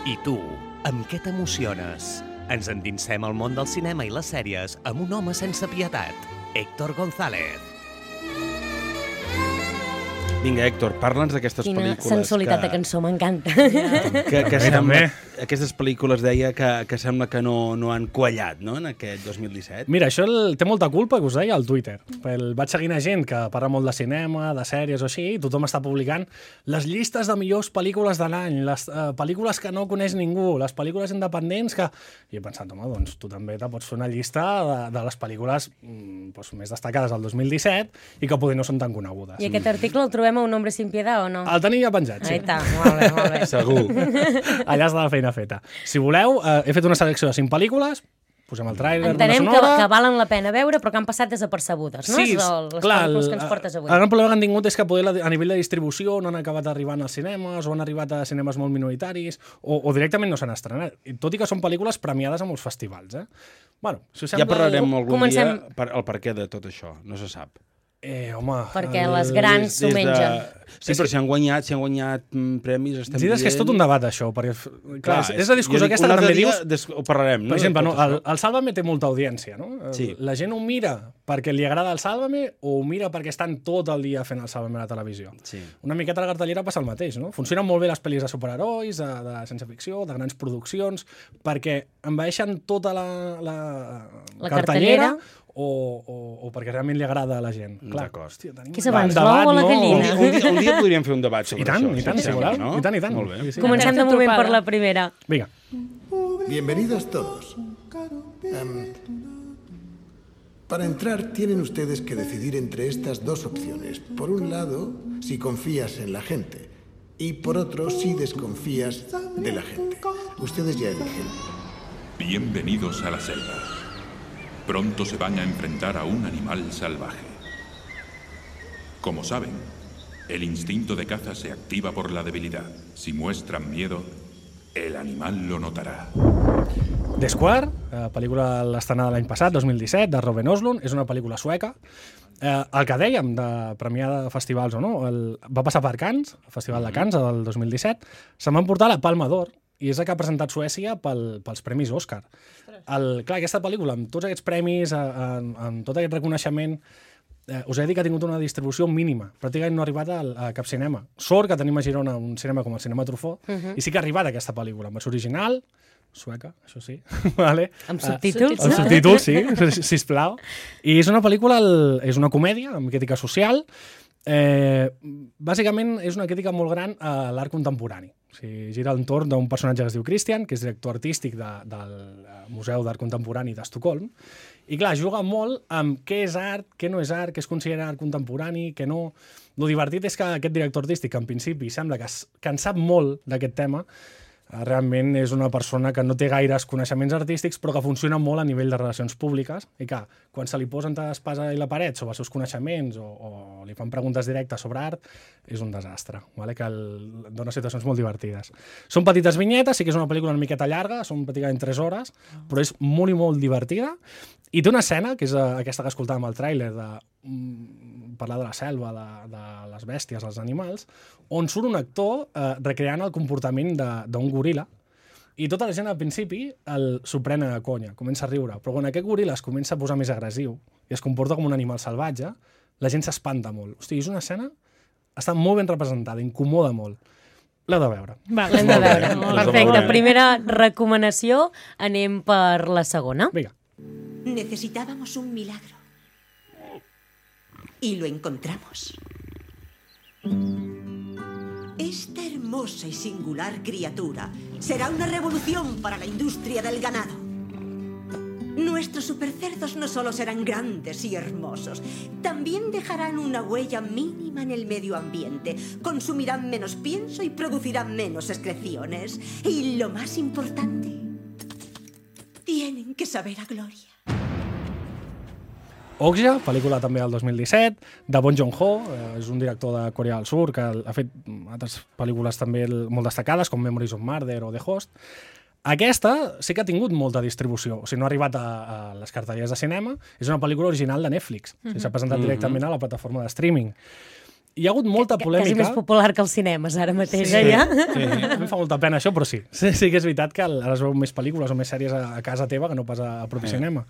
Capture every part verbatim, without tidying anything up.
I tu, amb què t'emociones? Ens endinsem al món del cinema i les sèries amb un home sense pietat, Héctor González. Vinga, Héctor, parla'ns d'aquestes Quina pel·lícules... Quina sensualitat que... de cançó, m'encanta. Que, que sembla, aquestes pel·lícules, deia, que, que sembla que no, no han quallat, no?, en aquest dos mil disset. Mira, això el, té molta culpa, que us deia, al Twitter. El, vaig seguint a gent que parla molt de cinema, de sèries o així, i tothom està publicant les llistes de millors pel·lícules de l'any, les uh, pel·lícules que no coneix ningú, les pel·lícules independents que... I he pensat, home, doncs tu també te pots fer una llista de, de les pel·lícules mm, doncs, més destacades del dos mil disset i que potser no són tan conegudes. I aquest article el trobem a Un hombre sin piedad o no? El tenia penjat, sí. Ahí està, molt bé, molt bé. Segur. Allà està la feina feta. Si voleu, eh, he fet una selecció de cinc pel·lícules, posem el tràiler, una Entenem que, sonora... que valen la pena veure, però que han passat desapercebudes, no? Sí, És el, les clar, pel·lícules que ens portes avui. el gran problema que han tingut és que poder, a nivell de distribució no han acabat arribant als cinemes o han arribat a cinemes molt minoritaris o, o directament no s'han estrenat, tot i que són pel·lícules premiades a molts festivals. Eh? Bueno, si us sembla... Ja parlarem algun Comencem... dia per, el perquè de tot això, no se sap. Eh, home... Perquè el... les grans s'ho mengen. De... Sí, però si han guanyat, si han guanyat mm, premis, estem dient... És que és tot un debat, això, perquè clar, clar, és, és la discussió aquesta que també dius... Des... Ho parlarem, no? Per exemple, no, el, el Sálvame té molta audiència, no? Sí. La gent ho mira perquè li agrada el Sálvame o ho mira perquè estan tot el dia fent el Sálvame a la televisió. Sí. Una miqueta a la cartellera passa el mateix, no? Funcionen molt bé les pel·lis de superherois, de, de ciència ficció, de grans produccions, perquè envaeixen tota la, la, la cartellera, cartellera o, o, o perquè realment li agrada a la gent. D'acord. Què és abans, l'ou o la gallina? Un, un, dia, un dia podríem fer un debat sobre I tant, això. i tant, si voleu. No? I tant, i tant. Molt bé. Sí, sí. Comencem de moment per la primera. Vinga. Bienvenidos todos. Um, para entrar tienen ustedes que decidir entre estas dos opciones. Por un lado, si confías en la gente. Y por otro, si desconfías de la gente. Ustedes ya eligen. Bienvenidos a la selva. Pronto se van a enfrentar a un animal salvaje. Como saben, el instinto de caza se activa por la debilidad. Si muestran miedo, el animal lo notará. The Square, eh, pel·lícula l'estrenada l'any passat, dos mil disset, de Robin Oslund, és una pel·lícula sueca. Eh, el que dèiem de premiar de festivals o no, el, va passar per Cannes, el Festival de Cannes del dos mil disset, se'n van portar la Palma d'Or, i és la que ha presentat Suècia pel, pels premis Òscar. El, clar, aquesta pel·lícula, amb tots aquests premis, amb, amb tot aquest reconeixement, eh, us he de dir que ha tingut una distribució mínima. Pràcticament no ha arribat a, a cap cinema. Sort que tenim a Girona un cinema com el Cinema Truffaut, uh -huh. i sí que ha arribat aquesta pel·lícula, amb versió original, sueca, això sí. vale. Amb subtítols? Uh, amb subtítols, sí, sisplau. I és una pel·lícula, el, és una comèdia amb crítica social. Eh, bàsicament és una crítica molt gran a l'art contemporani. O sigui, gira entorn d'un personatge que es diu Christian, que és director artístic de, del Museu d'Art Contemporani d'Estocolm, i clar, juga molt amb què és art, què no és art, què es considera art contemporani, què no... Lo divertit és que aquest director artístic, que en principi sembla que, es, que en sap molt d'aquest tema, realment és una persona que no té gaires coneixements artístics, però que funciona molt a nivell de relacions públiques, i que quan se li posen entre l'espasa i la paret sobre els seus coneixements o, o li fan preguntes directes sobre art, és un desastre, vale? Que el, dona situacions molt divertides. Són petites vinyetes, sí que és una pel·lícula una miqueta llarga, són pràcticament tres hores, però és molt i molt divertida, i té una escena, que és aquesta que escoltàvem al tràiler, de mm, parlar de la selva, de, de les bèsties, els animals, on surt un actor eh, recreant el comportament d'un goril·la, i tota la gent al principi s'ho pren a conya, comença a riure, però quan aquest goril·la es comença a posar més agressiu i es comporta com un animal salvatge, la gent s'espanta molt. Hosti, és una escena, està molt ben representada, incomoda molt. L'heu de veure. Va, l'hem de veure. Perfecte, primera recomanació, anem per la segona. Vinga. Necesitábamos un milagro. Y lo encontramos. Esta hermosa y singular criatura será una revolución para la industria del ganado. Nuestros supercerdos no solo serán grandes y hermosos, también dejarán una huella mínima en el medio ambiente, consumirán menos pienso y producirán menos excreciones. Y lo más importante, tienen que saber a gloria. Okja, pel·lícula també del dos mil disset, de Bong Joon-ho, eh, és un director de Corea del Sur que ha fet altres pel·lícules també molt destacades, com Memories of Murder o The Host. Aquesta sí que ha tingut molta distribució, o sigui, no ha arribat a, a les cartelleres de cinema, és una pel·lícula original de Netflix, mm-hmm. o sigui, s'ha presentat directament a la plataforma de streaming. hi ha hagut molta polèmica. Que és més popular que els cinemes ara mateix, sí, eh, ja? Sí, a mi em fa molta pena això, però sí. Sí, sí que és veritat que ara es veu més pel·lícules o més sèries a, a casa teva que no pas a, a propi sí. cinema.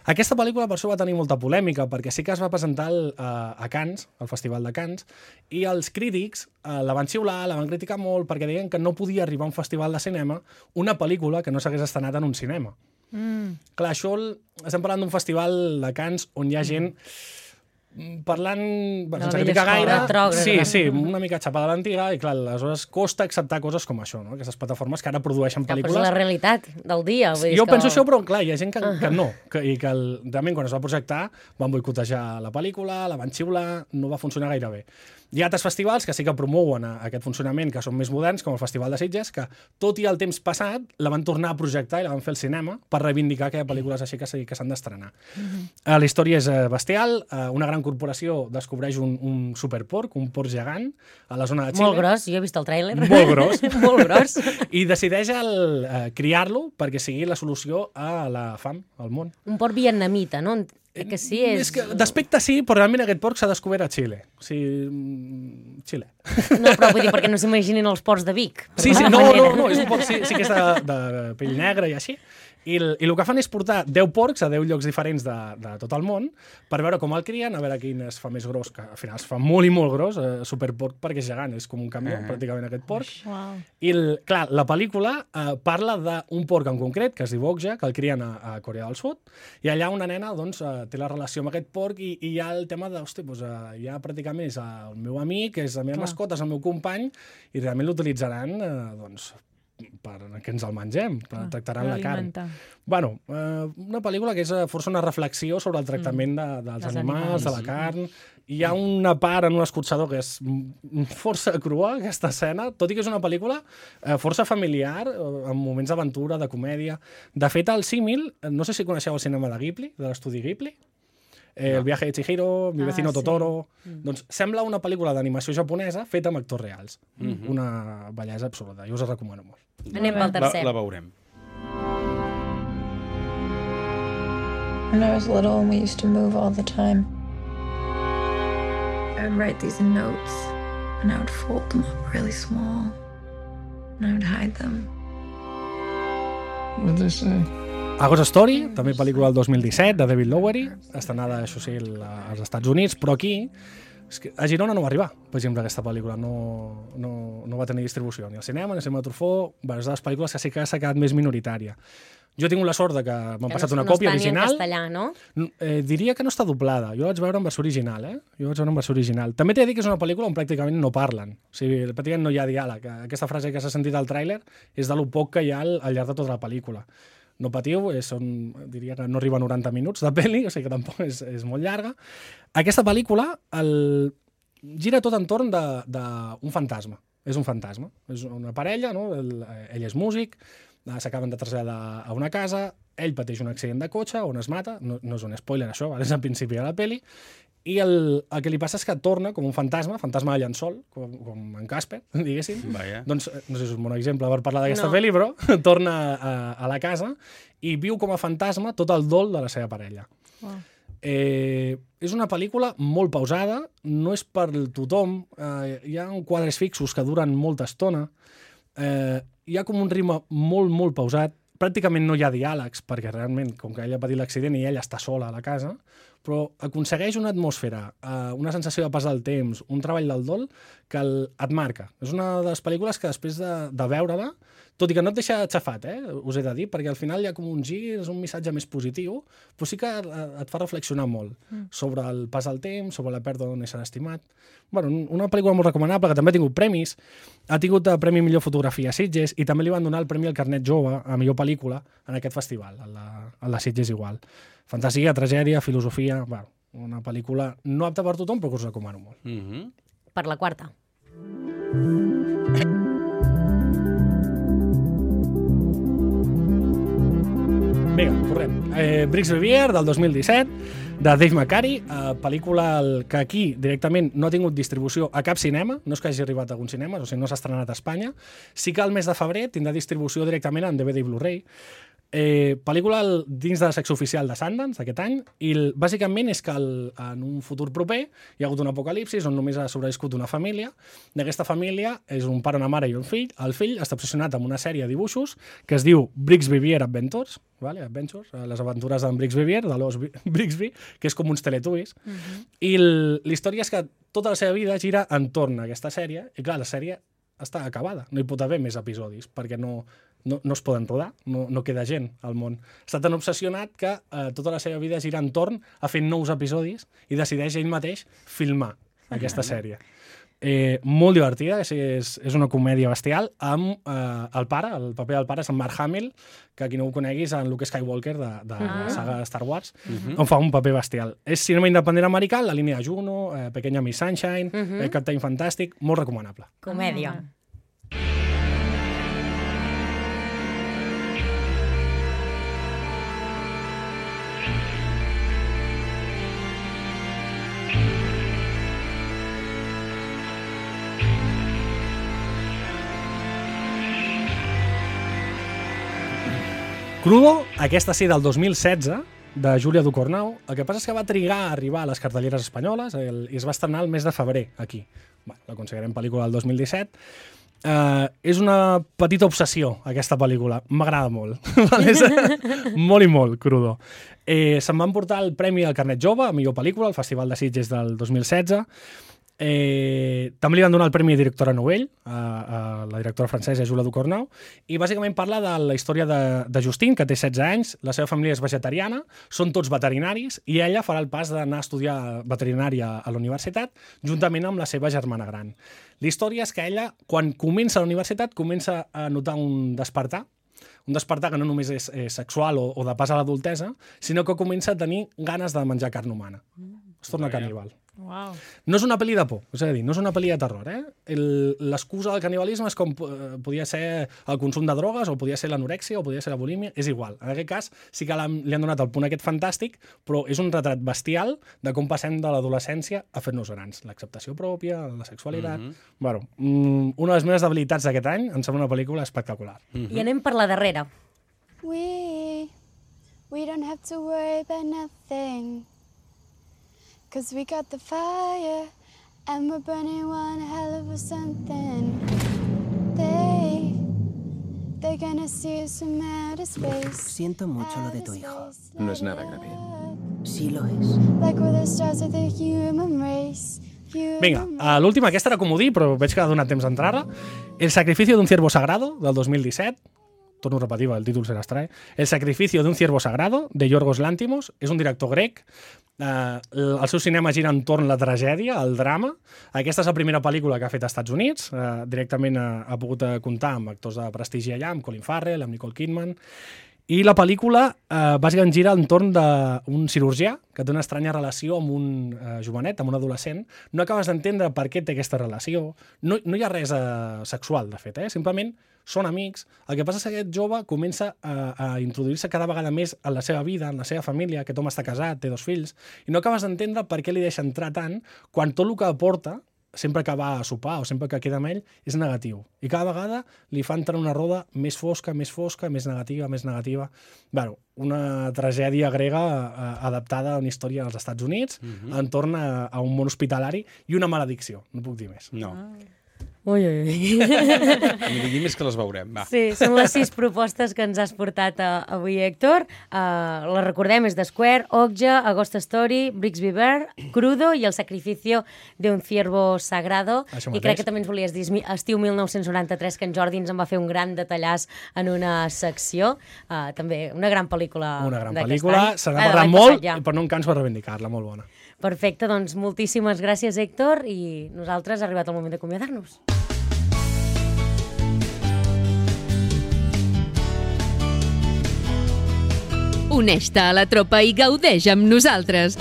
Aquesta pel·lícula per això va tenir molta polèmica, perquè sí que es va presentar el, a, a Cannes, al Festival de Cannes, i els crítics eh, la van xiular, la van criticar molt, perquè deien que no podia arribar a un festival de cinema una pel·lícula que no s'hagués estrenat en un cinema. Mm. Clar, això estem parlant d'un festival de Cannes on hi ha gent parlant, bueno, sense criticar gaire, trògrada. sí, sí, una mica xapada a l'antiga, i clar, aleshores costa acceptar coses com això, no? Aquestes plataformes que ara produeixen pel·lícules. Però és la realitat del dia. Vull dir jo que... penso això, però clar, hi ha gent que, que no, que, i que el, realment quan es va projectar van boicotejar la pel·lícula, la van xiular, no va funcionar gaire bé. Hi ha altres festivals que sí que promouen aquest funcionament, que són més moderns, com el Festival de Sitges, que tot i el temps passat la van tornar a projectar i la van fer al cinema per reivindicar que hi ha pel·lícules així que s'han d'estrenar. Uh-huh. La història és bestial, una gran corporació descobreix un, un superporc, un porc gegant, a la zona de Xile. Molt gros, jo he vist el tràiler. Molt gros. Molt gros. I decideix el, uh, criar-lo perquè sigui la solució a la fam al món. Un porc vietnamita, no? Que sí, és... és que d'aspecte sí, però realment aquest porc s'ha descobert a Xile. O sigui, Xile. No, però vull dir, perquè no s'imaginin els porcs de Vic. Sí, sí, no, no, no, és un porc, sí, sí que és de, de pell negra i així. I el, i el que fan és portar deu porcs a deu llocs diferents de, de tot el món per veure com el crien, a veure quin es fa més gros, que al final es fa molt i molt gros, eh, superporc perquè és gegant, és com un camió, uh-huh. pràcticament aquest porc. Wow. I, el, clar, la pel·lícula eh, parla d'un porc en concret, que es diu Okja, que el crien a, a Corea del Sud, i allà una nena doncs, eh, té la relació amb aquest porc i, i hi ha el tema de, hosti, doncs, eh, ja pràcticament és el meu amic, és la meva clar. mascota, és el meu company, i realment l'utilitzaran, eh, doncs, per que ens el mengem, per ah, tractaran la carn. Bueno, eh, una pel·lícula que és força una reflexió sobre el tractament de, dels animals, animals, de la carn. Hi ha una part en un escorxador que és força crua, aquesta escena, tot i que és una pel·lícula eh, força familiar, amb moments d'aventura, de comèdia. De fet, el símil, no sé si coneixeu el cinema de Ghibli, de l'estudi Ghibli, Eh, no. El viaje de Chihiro, Mi vecino ah, sí. Totoro... Mm. Doncs sembla una pel·lícula d'animació japonesa feta amb actors reals. Mm-hmm. Una bellesa absoluta. Jo us la recomano molt. Anem pel tercer. La, la veurem. When I was little and we used to move all the time, I would write these notes and I would fold them up really small and I would hide them. What did they say? A Ghost Story, també pel·lícula del dos mil disset, de David Lowery, estrenada, això sí, als Estats Units, però aquí és que a Girona no va arribar, per exemple, aquesta pel·lícula. No, no, no va tenir distribució ni al cinema, ni al cinema de Truffaut. Bé, és de les pel·lícules que sí que s'ha quedat més minoritària. Jo he tingut la sort de que m'han passat no, una còpia no original. En castellà, no? Eh, diria que no està doblada. Jo la vaig veure en versió original, eh? Jo vaig veure en versió original. També t'he de dir que és una pel·lícula on pràcticament no parlen. O sigui, pràcticament no hi ha diàleg. Aquesta frase que s'ha sentit al tràiler és de lo poc que hi ha al, al llarg de tota la pel·lícula. No patiu, és, són, diria que no arriba a noranta minuts de pel·li, o sigui que tampoc és, és molt llarga. Aquesta pel·lícula el, gira tot entorn d'un fantasma. És un fantasma. És una parella, no? El, ell és músic, s'acaben de traslladar a una casa, ell pateix un accident de cotxe on es mata, no, no és un spoiler això, és al principi de la pel·li, i el, el que li passa és que torna com un fantasma, fantasma de llençol, com, com en Casper, diguéssim. Vaya. Doncs, no sé si és un bon exemple per parlar d'aquesta no. pel·li, però torna a, a la casa i viu com a fantasma tot el dol de la seva parella. Wow. Eh, és una pel·lícula molt pausada, no és per tothom, eh, hi ha quadres fixos que duren molta estona, eh, hi ha com un ritme molt, molt pausat, pràcticament no hi ha diàlegs, perquè realment, com que ell ha patit l'accident i ella està sola a la casa, però aconsegueix una atmosfera, eh, una sensació de pas del temps, un treball del dol que el, et marca. És una de les pel·lícules que després de, de veure-la, tot i que no et deixa xafat, eh, us he de dir, perquè al final hi ha com un gir, és un missatge més positiu, però sí que et fa reflexionar molt mm. sobre el pas del temps, sobre la pèrdua d'un ésser estimat. Bueno, una pel·lícula molt recomanable, que també ha tingut premis, ha tingut el Premi Millor Fotografia a Sitges i també li van donar el Premi al Carnet Jove a Millor Pel·lícula en aquest festival, a la, a la Sitges igual. Fantasia, tragèdia, filosofia... Bueno, una pel·lícula no apta per tothom, però que us recomano molt. Mm-hmm. Per la quarta. Vinga, corrent. Eh, Brix Rivier, del dos mil disset, de Dave McCary, eh, pel·lícula que aquí directament no ha tingut distribució a cap cinema, no és que hagi arribat a algun cinema, o sigui, no s'ha estrenat a Espanya. Sí que al mes de febrer tindrà distribució directament en D V D i Blu-ray. Eh, pel·lícula dins de la secció oficial de Sundance d'aquest any, i el, bàsicament és que el, en un futur proper hi ha hagut un apocalipsis on només ha sobreviscut una família. D'aquesta família és un pare, una mare i un fill. El fill està obsessionat amb una sèrie de dibuixos que es diu Brigsby Bear Adventures, vale? Adventures, les aventures d'en Brigsby Bear, de l'os Brigsby, que és com uns Teletubbies. Uh-huh. I la història és que tota la seva vida gira entorn a aquesta sèrie, i clar, la sèrie està acabada, no hi pot haver més episodis, perquè no, no, no es poden rodar, no, no queda gent al món. Està tan obsessionat que eh, tota la seva vida gira entorn a fer nous episodis i decideix ell mateix filmar aquesta sèrie. Eh, molt divertida, és, és, és una comèdia bestial, amb eh, el pare, el paper del pare és en Mark Hamill, que qui no ho coneguis en Luke Skywalker de, de uh-huh. la saga Star Wars, uh-huh. on fa un paper bestial. És cinema independent americà, la línia de Juno, eh, Pequeña Miss Sunshine, uh-huh. eh, Captain Fantastic, molt recomanable. Comèdia. Uh-huh. Crudo, aquesta sí del dos mil setze, de Júlia Ducournau. El que passa és que va trigar a arribar a les cartelleres espanyoles el, i es va estrenar el mes de febrer, aquí. Bé, la considerem pel·lícula del dos mil disset. Uh, és una petita obsessió, aquesta pel·lícula. M'agrada molt. Molt i molt, Crudo. Eh, se'n van portar el Premi al Carnet Jove, a millor pel·lícula, al Festival de Sitges del dos mil setze. Eh, també li van donar el Premi de Directora Novell a, a la directora francesa Júlia Ducournau, i bàsicament parla de la història de, de Justine, que té setze anys, la seva família és vegetariana, són tots veterinaris, i ella farà el pas d'anar a estudiar veterinària a la universitat juntament amb la seva germana gran. La història és que ella, quan comença a la universitat, comença a notar un despertar, un despertar que no només és, és sexual o, o de pas a l'adultesa, sinó que comença a tenir ganes de menjar carn humana. Es torna caníbal. Wow. No és una pel·li de por, és a dir, no és una pel·li de terror. Eh? L'excusa del canibalisme és com eh, podia ser el consum de drogues, o podia ser l'anorèxia, o podia ser la bulímia, és igual. En aquest cas sí que li han donat el punt aquest fantàstic, però és un retrat bestial de com passem de l'adolescència a fer-nos grans. L'acceptació pròpia, la sexualitat... Mm-hmm. Bueno, una de les meves debilitats d'aquest any, em sembla una pel·lícula espectacular. Mm-hmm. I anem per la darrera. We, we don't have to worry about nothing. Cause we got the fire, and we're burning one hell of a something. They, they're gonna see us from outer space. Siento mucho lo de tu hijo. No es nada grave. Sí lo es. Like we're the stars of the human race. Vinga, uh, l'última, aquesta era comodí, però veig que ha donat temps d'entrar-la. El sacrificio d'un ciervo sagrado, del dos mil disset. Torno a repetir, el títol serà estrany. El sacrificio d'un ciervo sagrado, de Yorgos Lanthimos. És un director grec. Uh, el seu cinema gira entorn la tragèdia, el drama. Aquesta és la primera pel·lícula que ha fet als Estats Units. Uh, directament ha, ha pogut comptar amb actors de prestigi allà, amb Colin Farrell, amb Nicole Kidman. I la pel·lícula uh, bàsicament gira entorn d'un cirurgià que té una estranya relació amb un uh, jovenet, amb un adolescent. No acabes d'entendre per què té aquesta relació. No, no hi ha res uh, sexual, de fet, eh? Simplement són amics. El que passa és que aquest jove comença a, a introduir-se cada vegada més en la seva vida, en la seva família. Aquest home està casat, té dos fills, i no acabes d'entendre per què li deixa entrar tant quan tot el que aporta, sempre que va a sopar o sempre que queda amb ell, és negatiu. I cada vegada li fa entrar una roda més fosca, més fosca, més negativa, més negativa. Bueno, una tragèdia grega eh, adaptada a una història als Estats Units, uh-huh. entorn a, a un món hospitalari i una maledicció. No puc dir més. No. Ah. Ui, ui, ui. Ni digui més que les veurem, va. Sí, són les sis propostes que ens has portat uh, avui, Héctor. Uh, les recordem, és The Square, Okja, A Ghost Story, Brigsby Bear, Crudo i El sacrificio de un ciervo sagrado. I crec que també ens volies dir estiu mil nou-cents noranta-tres, que en Jordi ens en va fer un gran detallàs en una secció. Uh, també una gran pel·lícula Una gran d'aquest pel·lícula, any. s'ha de parlar molt, ja. Però no em canso de reivindicar-la, molt bona. Perfecte, doncs moltíssimes gràcies, Héctor, i nosaltres ha arribat el moment d'acomiadar-nos. Uneix-te a la tropa i gaudeix amb nosaltres.